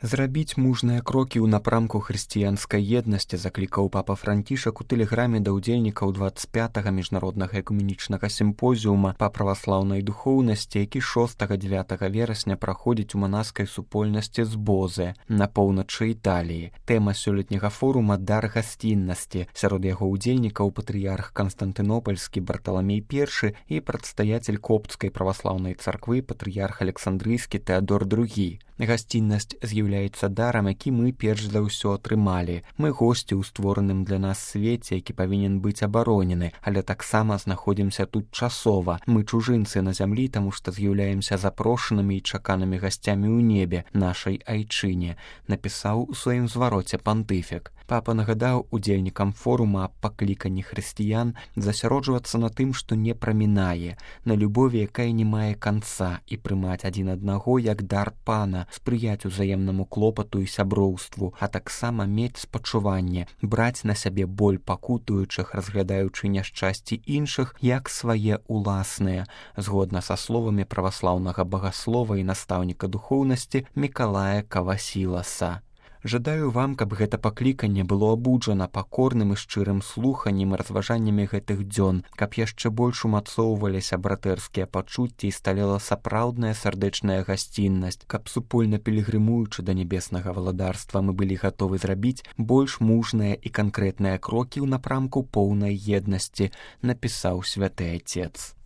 Зрабіць мужныя крокі ў напрамку хрысціянскай еднасці заклікаў папа Францішак у тэлеграме да ўдзельнікаў 25-га міжнароднага экуменічнага сімпозіума па праваслаўнай духоўнасці, які 6-9 верасня праходзіць у манаскай супольнасці з Бозе на поўначы Італіі. Тэма сёлетняга форума «Дар гасціннасці». Сярод яго ўдзельнікаў патрыярх Канстантынопольскі Барталамей I і прадстаяцель Коптскай праваслаўнай царквы патрыярх Александрыйскі Тэадор II. Гасціннасць з'яўляецца дарам, які мы перш за ўсё атрымалі. Мы госці ў створаным для нас свеце, які павінен быць абаронены, але таксама знаходзімся тут часова. Мы чужынцы на зямлі, таму што з'яўляемся запрошанымі і чаканымі гасцямі ў небе, нашай айчыне, напісаў у сваім звароце пантыфік. Папа нагадаў удзельнікам форума аб пакліканні хрысціян засяроджвацца на тым, што не прамінае, на любові, якая не мае канца, і прымаць адзін аднаго як дар пана, спрыяць узаемнаму клопату і сяброўству, а таксама мець спачуванне, браць на сябе боль пакутуючых, разглядаючы няшчасці іншых як свае уласныя, згодна са словамі праваслаўнага багаслова і настаўніка духоўнасці Мікалая Кавасіласа. Жадаю вам, каб гэта пакліканне было абуджана пакорным і шчырым слуханнем і разважаннямі гэтых дзён, каб яшчэ больш умацоўваліся братэрскія пачуцці і сталела сапраўдная сардэчная гасціннасць, каб супольна пілігрымуючы да нябеснага валадарства мы былі гатовы зрабіць больш мужныя і канкрэтныя крокі ў напрамку поўнай еднасці, напісаў святы Отец.